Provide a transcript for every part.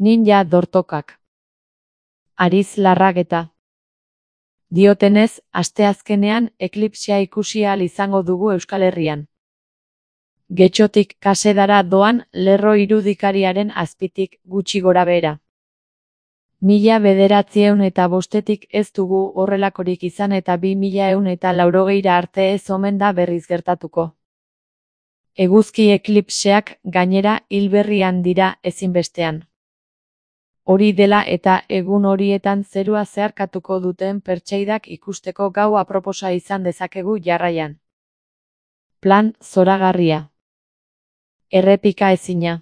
Ninja dortokak. Ariz Larrageta. Diotenez, asteazkenean eklipsea ikusi ahal izango dugu Euskal Herrian. Getxotik Kasedara doan lerro irudikariaren azpitik gutxi gorabehera. 1905 ez dugu horrelakorik izan eta 2180 arte ez omen da berriz gertatuko. Eguzki eklipseak gainera hilberrian dira ezinbestean. Hori dela eta egun horietan zerua zeharkatuko duten pertseidak ikusteko gau aproposa izan dezakegu jarraian. Plan zoragarria. Errepika ezina.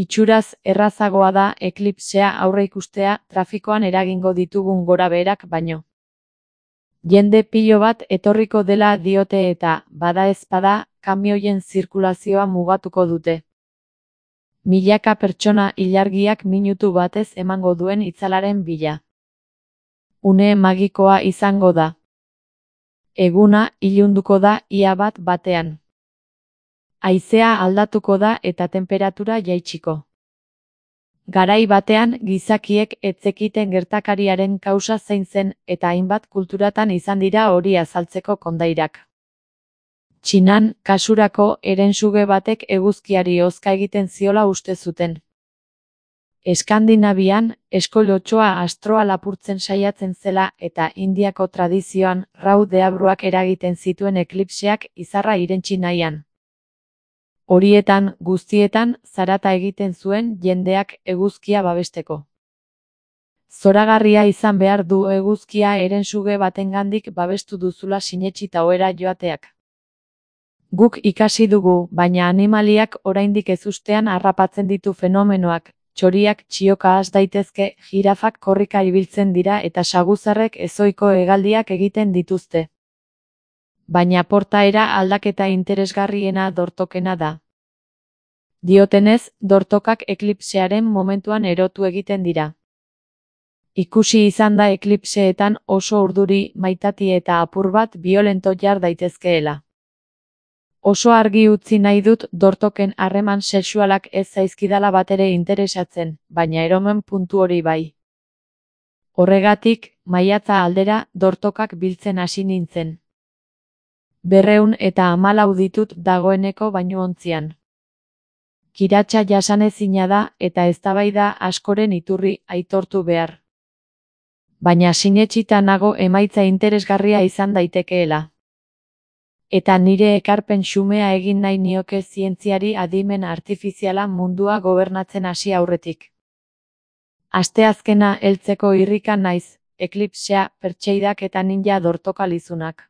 Itxuraz errazagoa da eklipsea aurreikustea trafikoan eragingo ditugun gorabeherak baino. Jende pilo bat etorriko dela diote eta, badaezpada, kamioien zirkulazioa mugatuko dute. Milaka pertsona ilargiak minutu batez emango duen itzalaren bila. Une magikoa izango da. Eguna ilunduko da ia bat batean. Haizea aldatuko da eta tenperatura jaitsiko. Garai batean gizakiek ez zekiten gertakariaren kausa zein zen eta hainbat kulturatan izan dira hori azaltzeko kondairak. Txinan, kasurako, herensuge batek eguzkiari hozka egiten ziola uste zuten. Eskandinavian, eskoilotxoa astroa lapurtzen saiatzen zela eta Indiako tradizioan rau deabruak eragiten zituen eklipseak izarra irentsi nahian. Horietan, guztietan, zarata egiten zuen jendeak eguzkia babesteko. Zoragarria izan behar du eguzkia herensuge batengandik babestu duzula sinetsita ohera joateak. Guk ikasi dugu, baina animaliak oraindik ezustean harrapatzen ditu fenomenoak, txoriak txioka has daitezke, jirafak korrika ibiltzen dira eta saguzarrek ezohiko hegaldiak egiten dituzte. Baina portaera aldaketa interesgarriena dortokena da. Diotenez, dortokak eklipsearen momentuan erotu egiten dira. Ikusi izan da eklipseetan oso urduri, maitati eta apur bat biolento jar daitezkeela. Oso argi utzi nahi dut dortoken harreman sexualak ez zaizkidala batere interesatzen, baina eromen puntu hori bai. Horregatik, maiatza aldera dortokak biltzen hasi nintzen. 214 ditut dagoeneko bainuontzian. Kiratsa jasanezina da eta eztabaida askoren iturri aitortu behar. Baina sinetsita nago emaitza interesgarria izan daitekeela. Eta nire ekarpen xumea egin nahi nioke zientziari adimen artifiziala mundua gobernatzen hasi aurretik. Asteazkena heltzeko irrikan naiz, eklipsea, pertseidak eta ninja dortokalizunak.